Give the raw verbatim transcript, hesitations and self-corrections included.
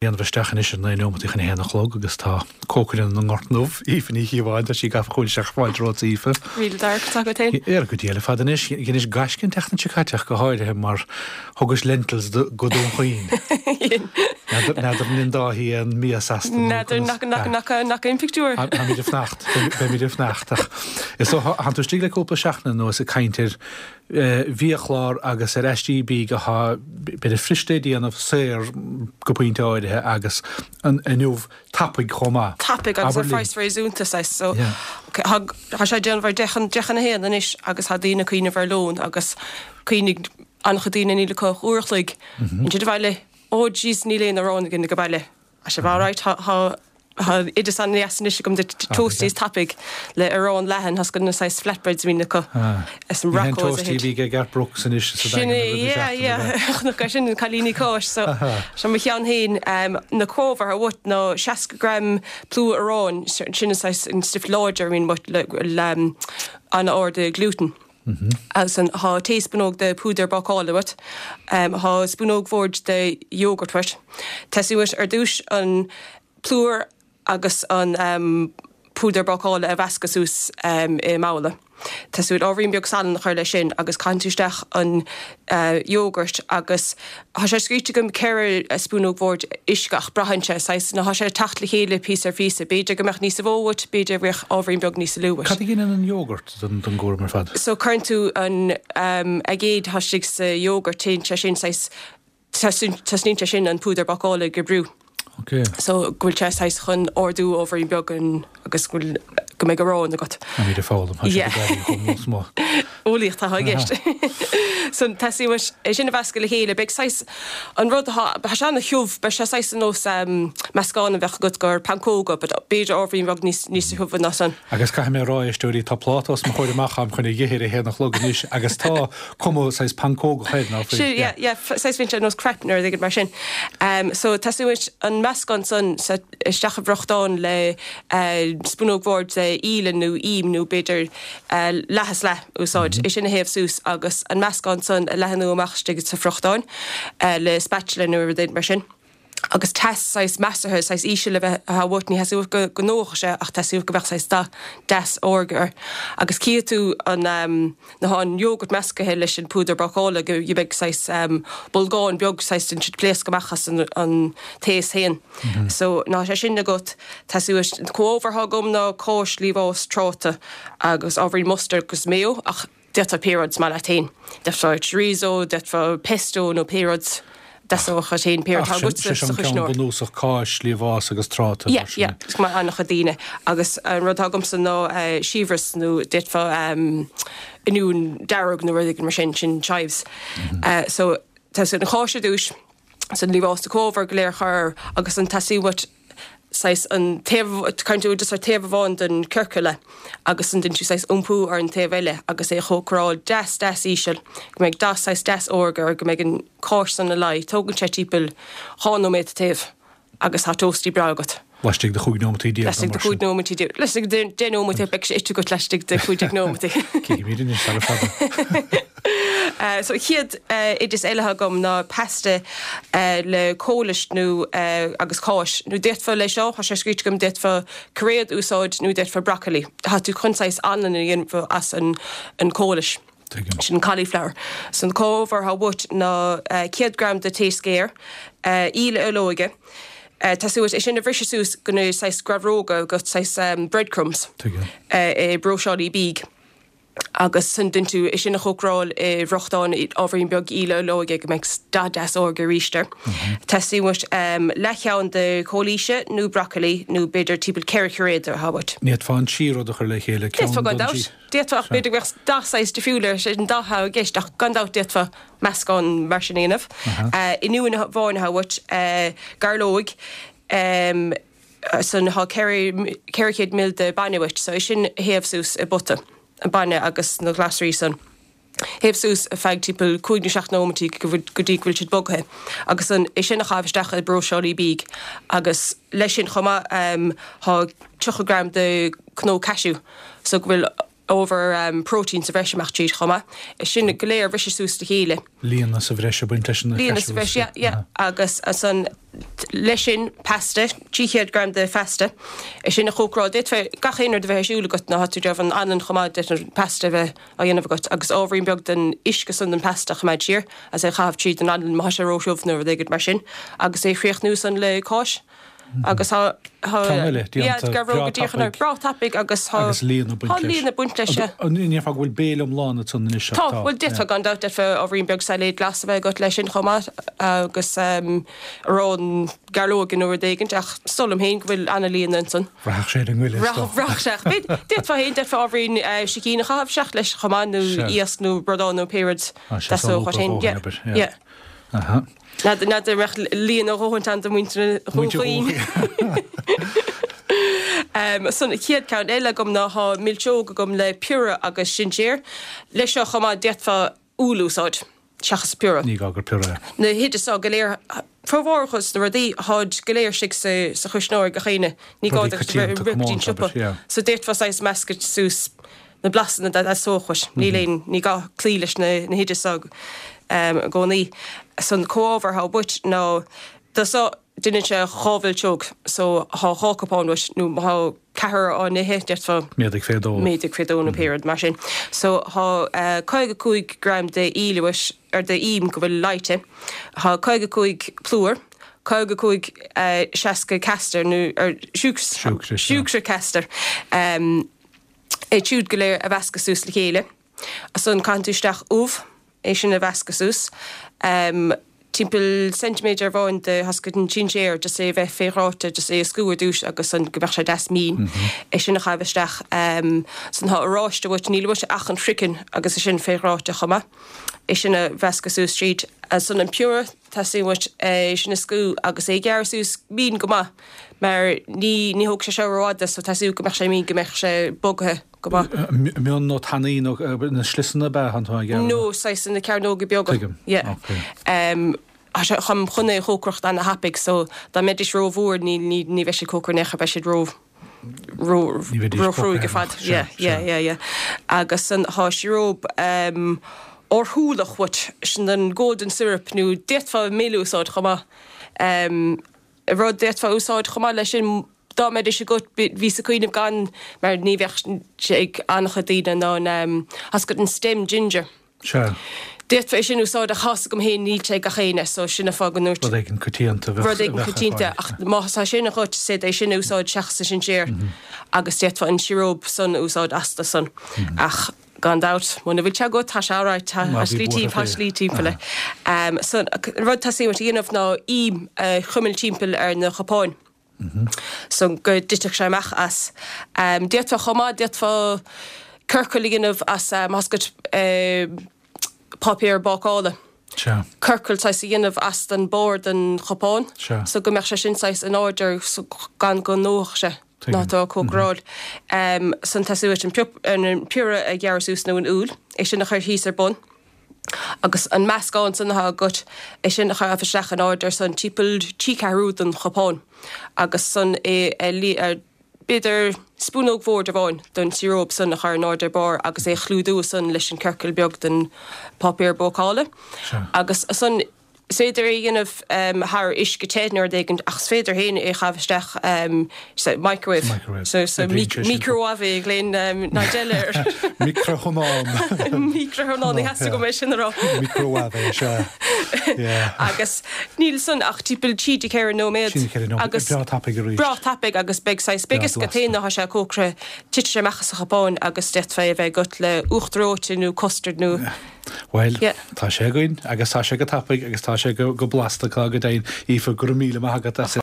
Déanamh isteach anois ar naoi nóimeataí chun a haon a chlog agus tá cócaire na nGort nDubh, Aoife Ní Chíobháin, tá sí gafa chugainn isteach fáilte romhat Aoife. Míle darach atá agat féin. Ar go Dia le fada anois, dheinis gaisce an tseachtain seo caite ach go háirithe mar thugais lentils do go Dún Chaoin. N'fheadar an Dáithí an mias astu nó N'fheadar nach nach nach nach aon pictiúr. Táimid ag fanacht, beimid ag fanacht ach is dócha thánn tú istigh le cúpla seachtain anuas ag caint ar bhiachlár agus ar aistí bídh atá b'fhéidir fuirist le déanamh saor go pointe áirithe agus an inniu tapaidh chomh maith. Tapaidh agus ar phraghas réasúnta saghas so tá sé déanamh ar deich deich chun a haon anois agus tá daoine ag cuimhneamh ar lón agus cuimhnigh an-chuid daoine níl acu ach uair a chloig ansin abhaile oh jeez níl aon arán againn ag baile. Tá sé alright tá tá Tá oideas an-deas anois agam de toasties tapaidh le arán leathan, tá na saghas flatbreads a bhíonn acu is an Ní hé an racóid a toastie a thit. bhí ag Garth Brooks anois sa Sin Daingean é, an rud yeah, seachtain yeah, a bheith. chonac é sin, na cailíní cáis, so seo mo cheann féin, na comhábhair atá uait ná seasca gram plúr aráin, sin an saghas an stuif láidir a bhíonn uait le le an-ard i gluten. Agus an tá taespúnóg de púdar bácála uait, tá spúnóg bhoird de yogurt uait. Teastaíonn uait ar dtús an plúr agus an púdar bácála a mheascadh suas i mbabhla. Teastaíonn uait ábhairín beag salainn a chur leis sin agus caitheann tú isteach an yogurt agus tá sé scríte agam ceithre spúnóg bhoird uisce ach braitheann sé saghas nó tá sé ag teacht le chéile píosa ar phíosa. B'fhéidir go mbeadh níosa mhó uait, b'fhéidir go mbeadh ábhairín beag níosa lú uait. Cad a dhéanann an yogurt don don gcúram ar fad? So cuireann tú an aigéad atá istigh sa yogurt, téann sé sin saghas Tosnaíonn sé sin an púdar bácála ag oibriú. Ok. So go bhfuil sé saghas chun ardú ábhairín beag an agus go bhfuil go mbeidh arán agat. Táimid ag foghlaim, tá sé ag éirí chomh mór is mór. Eolaíocht atá i gceist. So teastaíonn uait é sin a mheascadh le chéile, beidh saghas an rud atá, tá sé ana-thiubh, beidh sé saghas ar nós meascán a bheadh agat gur pancóga but b'fhéidir ábhairín beag níos níos thiubhe ná san. Agus caithfidh mé a rá, éisteoirí, tá pláta os mo chomhair amach agam chun a dh'ithe ar a haon a chlog anois agus tá cuma saghas pancógach air, ná fuil? Sin, yeah, yeah, saghas bíonn sé ar nós crepe nó rud éigin mar sin. Um, so teastaíonn uait an meascán san sa, isteach i bhfriochtán le uh, spúnóg bhoird de íle nó im nó b'fhéidir uh, leath is leath úsáid. É sin a théamh suas agus an meascán san a leathnú amach istigh sa friochtán uh, le spatula nó rud éigin mar sin. Agus teas saghas measartha, saghas íseal a bheith atá uait, ní theastaíonn uait go go ndófadh sé ach teastaíonn uait go mbeadh saghas dath deas órga air. Agus cífidh tú an nuair atá an yogurt meascaithe leis an púdar bácála go mbeidh saghas bolgán beag saghas den siad pléasc amach as an an taos féin. So nuair atá sé sin agat teastaíonn uait na comhábhair atá agam ná cáis, liamhás, tráta agus ábhairín mustard agus mayo ach D'fhéadfá pé rud is maith leat féin. D'fhéadfá chorizo, d'fhéadfá pesto nó pé rud deasódh leat féin, pé rud atá Ach sin, agat sé sa an ceann chuisneoir. bunúsach, cáis, liamhás agus tráta, Yeah, mar sin. yeah, is cuma an-chuid daoine. Agus an rud atá agamsa ná siabhras nó d'fhéadfá oinniún dearg nó rud éigin mar sin, sin chives. So tá an cháis ar dtús, san liamhás na comhábhair go léir a chur agus an teastaíonn uait saghas an taobh, cuireann tú just ar taobh amháin den ciorcal é agus an déanann tú saghas iompú ar an taobh eile agus é a chócaráil deas deas íseal go mbeidh dath saghas deas órga air go mbeidh an cáis san ina luí. Tógann sé timpeall dhá nóiméad an taobh agus tá toastie breá agat. Laistigh de chúig nóimeataí déag nó Laistigh de mar sin. chúig nóimeataí déag. Laistigh de deich nóimeataí beidh sé ite agat laistigh de cúig déag nóimeataí. Cífimid anois sara fada. So chéad oideas eile atá agam ná pasta le cóilis nó agus cáis. Nó d'fhéadfá leis seo, tá sé scríte agam, d'fhéadfá cairéad a úsáid nó d'fhéadfá broccoli. Tá tú chun saghas anlann a dhéanamh as an an cóilis. Tuigim. Sin cauliflower. So na comhábhair atá uait ná céad gram de taos géar, íle olóige, teastaíonn uait é sin a bhriseadh suas go na saghas grabhróga, go saghas breadcrumbs. Tuigim. I bpróiseálaí bídh. Agus ansan déanann tú é sin a chócaráil i bhfriochtán ábhairín beag íle olóige go mbeidh dath deas órga arís air. Teastaíonn uait leathcheann de chóilíse nó broccoli nó b'fhéidir timpeall ceithre chairéad atá uait. Ní fhéadfá an trí rud a chur le chéile, ceann D'fhéadfá gan don dabht. trí. D'fhéadfá ach b'fhéidir go mbeadh dath saghas difriúil air, sé an dath atá i gceist ach gan dabht d'fhéadfá meascán mar sin a dhéanamh. Oinniúin bháin atá uait, gairleoig, Ansan tá ceithre ceithre chéad ml de bainne uait, so é sin a théamh suas i bpota, an bainne agus na glasraí san. Théamh suas ar feadh timpeall cúig nó seacht nóimeataí go bhfuil, go dtí go bhfuil siad bogthe. Agus an, é sin a chaitheamh isteach i bpróiseálaí bídh. Agus leis sin chomh maith, tá tríocha gram de cnó cashew, so go bhfuil Ábhar próitéin sa bhreis amach tríd chomh maith. É sin go léir a bhriseadh suas le chéile. Líonadh sa bhreis ag baint leis na Líonadh sa bhreis, yeah, yeah. Agus ansan leis sin pasta, trí chéad gram de phasta, é sin a chócaráil. D'fhéadfá gach aon rud a bheith ar siúl agat nuair atá tú ag déanamh an anlann chomh maith, d'fhéadfá an pasta a bheith á dhéanamh agat agus ábhairín beag den uisce san den phasta a choimeád siar agus é a chaitheamh tríd an anlann má tá sé róthiubh nó rud éigin mar sin agus é a chríochnú san le cáis. Agus tá Ceann eile déanta breá tapaidh. Breá tapaidh agus tá Agus líon ag baint leis. Tá líon ag baint leis, sea. An ndéarfá go bhfuil béile iomlán ansan anois ach tá. Tá, bhuel d'fhéadfá gan dabht, d'fhéadfá ábhairín beag sailéad glas a bheith agat leis sin chomh maith agus arán gairleoige nó rud éigint ach is dóigh liom féin go bhfuil an-líon ansan. Rachadh sé ar an ngoile is dócha. Rachadh sé ach d'fhéadfá féin, d'fhéadfá ábhairín sicín a chaitheamh isteach leis chomh maith nó iasc nó bradán nó pé rud theastódh uait féin. Yeah, yeah. Aha. N'fheadar an mbeadh líon a dhóthaint ann do mhuintir Dhún Chaoin. San chéad ceann eile agam ná thá milseog agam le piorra agus sinséar. Leis seo chomh maith d'fhéadfá úll a úsáid seachas piorra. Ní gá gur piorra é. Na hoidis seo go léir, formhór dos na rudaí, tháid go léir istigh sa chuisneoir ag gach éinne. Ní gá duit a bheith ag rith go dtí an siopa. So d'fhéadfá saghas meascadh suas na blasanna dá dteastódh uait. Níl aon, ní gá cloí leis na hoidis seo i gcónaí. So an comhábhar atá uait ná, do so, deineann sé dhá mhilseog, so thá dhá cupán uait, nó má thá ceathrar á n-ithe, d'fhéadfá. Méadaigh fé dhó. Méadaigh fé dhó nó pé rud mar sin. So thá caoga cúig gram de íle uait, ar de ím go bhfuil leáite, thá caoga cúig plúr, caoga cúig seasca castar nó, ar, siúcra, siúcra castar. Iad siúd go léir a mheascadh suas le chéile. Ansan caitheann tú isteach ubh, é sin a mheascadh suas. Timpeall ceintiméadar amháin de tá a fhios agat an sinséar, just é a bheith fé dhráite, just é a scú ar dtús agus san go mbeadh sé deas mín. É sin a chaitheamh isteach. San tá oráiste uait, níl uait ach an craiceann agus é sin fé dhráite chomh maith. É sin a mheascadh suas tríd. Ansan an piorra, teastaíonn uait é sin a scú agus é a ghearradh suas mín go maith. Mar ní ní thógfaidh sé seo rófhada so teastaíonn go mbeadh sé mín go mbeadh sé bogaithe go maith. Mion nó tanaí nó na sliosanna ab ea atá tú ag iarraidh? No, saghas na cearnóga beaga. Tuigim. Yeah. Ok. Tá sé chun chun é a chócaireacht ana-thapaidh so dá mbeidís rómhór ní ní ní bheidh siad cócairithe in aon chor beidh siad ró ró Ní bheidís róchruaidh ar fad. cócairithe. Yeah, Sea, yeah, sea. yeah, yeah. Agus san thá síoróip órshúlach uait, sin an golden syrup nó d'fhéadfá mil a úsáid chomh maith. Rud d'fhéadfá a úsáid chomh maith leis sin, dá mbeidís agat, bhíos ag cuimhneamh gan, mar ní bheadh sé ag an-chuid daoine, ná an, tá a fhios agat an stem ginger. Sea. D'fhéadfá é sin a úsáid ach tá a fhios agam féin níl sé ag gach éinne so sin an fáth go ndúirt. Rud éigin coitianta a bheadh Rud éigin coitianta ach má tá sin agat, is féidir é sin a úsáid seachas an sinséar agus d'fhéadfá an síoróip san a úsáid astu san. Ach. Gan dabht, muna bhfuil sé agat, tá sé alright, tá slí tá slí timpeall air. So, an rud teastaíonn uait a dhéanamh ná im a chuimilt timpeall ar na cupáin. So, go dtitfeadh sé amach as. D'fhéadfá chomh maith, d'fhéadfá ciorcal a dhéanamh as, tá a fhios agat, páipéar bácála. Sea. Ciorcal saghas a dhéanamh as den barr den chupán. Sea. So go mbeadh sé sin saghas in airde so gan go ndófadh sé. Nuair atá á cócaráil. San teastaíonn uait an piorra a ghearradh suas nó an úll, é sin a chur thíos ar bun agus an meascán san atá agat, é sin a chaitheamh isteach in airde ar san timpeall trí ceathrú den chupán agus san é a b'fhéidir spúnóg bhoird amháin den síoróip san a chur in airde ar barr agus é a chlúdú san leis an ciorcal beag den páipéar bácála agus san Is féidir é a dhéanamh thar uisce te nó rud éigin ach is féidir féin é a chaitheamh isteach sa microwave. So sa micreabhaibh a ghlaonn Nigel air. Micreathonnán. Micreathonnán, ní theastaigh uaim é sin a rá. Micreabhaibh, sea. Yeah. Agus níl san ach timpeall trí go ceithre nóiméad. Trí go ceithre nóiméad. Agus Breá tapaidh arís. Breá tapaidh agus beidh saghas, beidh Breá fhios agat blasta. féin nuair atá sé cócairithe, titfidh sé amach as an chupán agus d'fhéadfá é a bheith agat le uachtar reoite nó custard nó. Bhuel, tá sé againn agus tá sé go tapaidh agus tá sé go blasta go deimhin. Aoife, go raibh míle maith agat as.